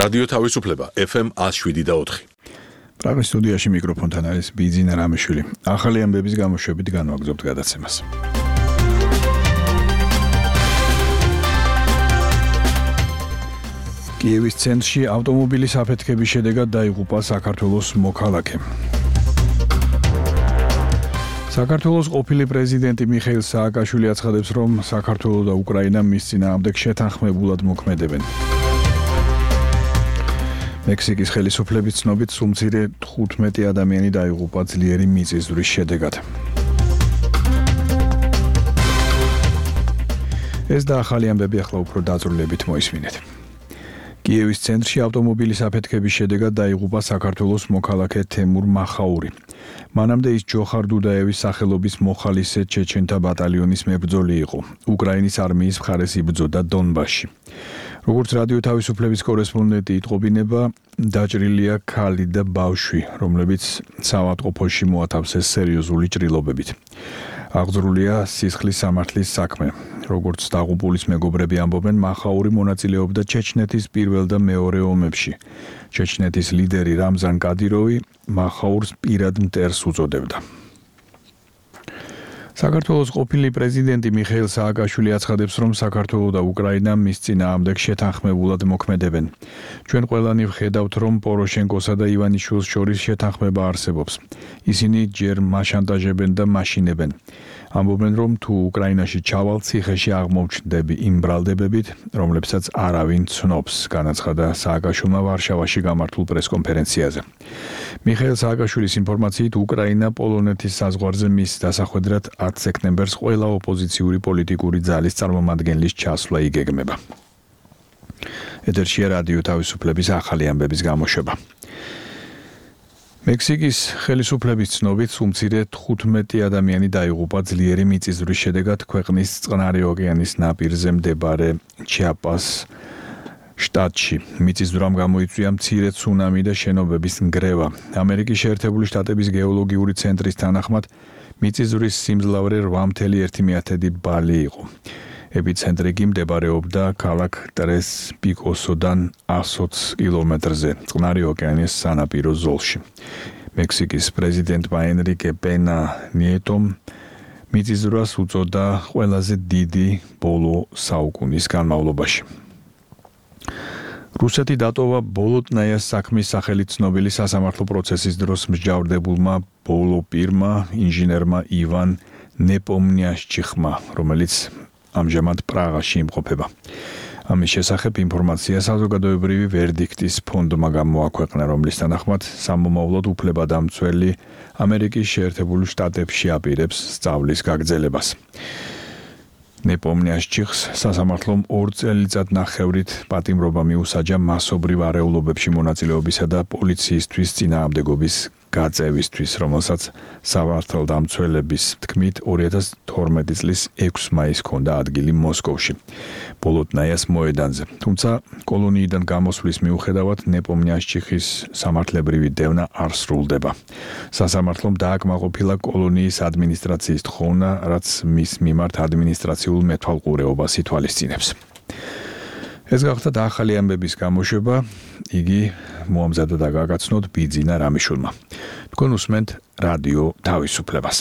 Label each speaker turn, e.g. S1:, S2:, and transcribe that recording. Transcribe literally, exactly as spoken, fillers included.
S1: რადიო თავისუფლება F M one oh seven და four.
S2: პრაღის სტუდიაში მიკროფონთან არის ბიძინა რამიშვილი. ახალი ამბების გამოშვებით განვაგრძობთ გადაცემას. კიევის ცენტრში ავტომობილის აფეთქების შედეგად დაიღუპა საქართველოს მოქალაქე. საქართველოს ყოფილი პრეზიდენტი მიხეილ სააკაშვილი აცხადებს, რომ საქართველო და უკრაინა მის წინააღმდეგ შეთანხმებულად მოქმედებენ. მექსიკის ხელისუფლების ცნობით სულ მცირე თხუთმეტი ადამიანი დაიღუპა ძლიერი მიწისძვრის შედეგად. ეს და ახალი ამბები ახლა უფრო დაწვრილებით მოისმინეთ. კიევის ცენტრში ავტომობილის აფეთქების შედეგად დაიღუპა საქართველოს მოქალაქე თემურ მახაური. მანამდე ის ჯოხარ დუდაევის სახელობის მოხალისე ჩეჩენთა ბატალიონის მებრძოლი იყო. უკრაინის არმიის მხარეს იბრძოდა დონბასში. როგორც რადიო თავისუფლების კორესპონდენტი იტყობინება, დაჭრილია ქალი და ბავშვი, რომლებიც საავადმყოფოში მოათავსეს სერიოზული ჭრილობებით. აღძრულია სისხლის სამართლის საქმე. როგორც დაღუპულის მეგობრები ამბობენ, მახაური მონაწილეობდა ჩეჩნეთის პირველ და მეორე ომებში. ჩეჩნეთის ლიდერი რამზან კადიროვი მახაურს პირად მტერს უწოდებდა. საქართველოს ყოფილი პრეზიდენტი მიხეილ სააკაშვილი აცხადებს, რომ საქართველო და უკრაინა მის წინააღმდეგ შეთანხმებულად მოქმედებენ. ჩვენ ყველანი ვხედავთ, რომ პოროშენკოსა და ივანიშვილს შორის შეთანხმება არსებობს. ისინი ჯერ მაშანტაჟებენ და მაშინებენ. ამბობენ, რომ თუ უკრაინაში ჩავალ, ციხეში აღმოვჩნდები იმ ბრალდებებით, რომლებსაც არავინ ცნობს, განაცხადა სააკაშვილმა ვარშავაში გამართულ პრესკონფერენციაზე. მიხეილ სააკაშვილის ინფორმაციით, უკრაინა პოლონეთის საზღვარზე მის დასახვედრად ათს სექტემბერს ყველა ოპოზიციური პოლიტიკური ძალის წარმომადგენლის ჩასვლა იგეგმება. ეთერშია რადიო თავისუფლების ახალი ამბების გამოშვება. მექსიკის ხელისუფლების ცნობით სულ მცირე თხუთმეტი ადამიანი დაიღუპა ძლიერი მიწისძვრის შედეგად ქვეყნის წყნარი ოკეანის ნაპირზე მდებარე ჩიაპას შტატში. მიწისძვრამ გამოიწვია მცირე ცუნამი და შენობების ნგრევა. ამერიკის შეერთებული შტატების გეოლოგიური ცენტრის თანახმად მიწისძვრის სიმძლავრე რვა ფاصლე ერთი ბალი იყო. ეპიცენტრი კი მდებარეობდა ქალაქ ტრეს პიკოსოდან εκατს ოცი კილომეტრზე, წყნარი ოკეანის სანაპირო ზოლში. მექსიკის პრეზიდენტმა ენრიკე პენა ნიეტომ მიწისძვრას უწოდა ყველაზე დიდი ბოლო საუკუნის განმავლობაში. რუსეთი დატოვა ბოლოტნაიას საქმის სახელით ცნობილი სასამართლო პროცესის დროს მსჯავრდებულმა ბოლო პირმა, ინჟინერმა ივან ნეპომნიაშჩიხმა, რომელიც ამჟამად პრაღაში იმყოფება. ამის შესახებ ინფორმაცია საზოგადოებრივი ვერდიქტის ფონდმა გამოაქვეყნა, რომლის თანახმად სამომავლოდ უფლებადამცველი ამერიკის შეერთებული შტატებში აპირებს სწავლის გაგრძელებას. ნეპომნიაშჩიხს სასამართლომ ორ წელიწადნახევრით პატიმრობა მიუსაჯა მასობრივ არეულობებში მონაწილეობისა და პოლიციისთვის წინააღმდეგობის გაწევისთვის, რომელსაც სამართალდამცველების თქმით ორი ათას თორმეტი წლის ექვსი მაისს ჰქონდა ადგილი მოსკოვში, ბოლოტნაიას მოედანზე. თუმცა კოლონიიდან გამოსვლის მიუხედავად ნეპომნიაშჩიხის სამართლებრივი დევნა არ სრულდება. სასამართლომ დააკმაყოფილა კოლონიის ადმინისტრაციის თხოვნა, რაც მის მიმართ ადმინისტრაციულ მეთვალყურეობას ითვალისწინებს. ეს გახდა ახალი ამბების გამოშვება, იგი მოამზადა და გაგაცნოთ ბიძინა რამიშვილმა. თქვენ უსმენთ რადიო თავისუფლებას.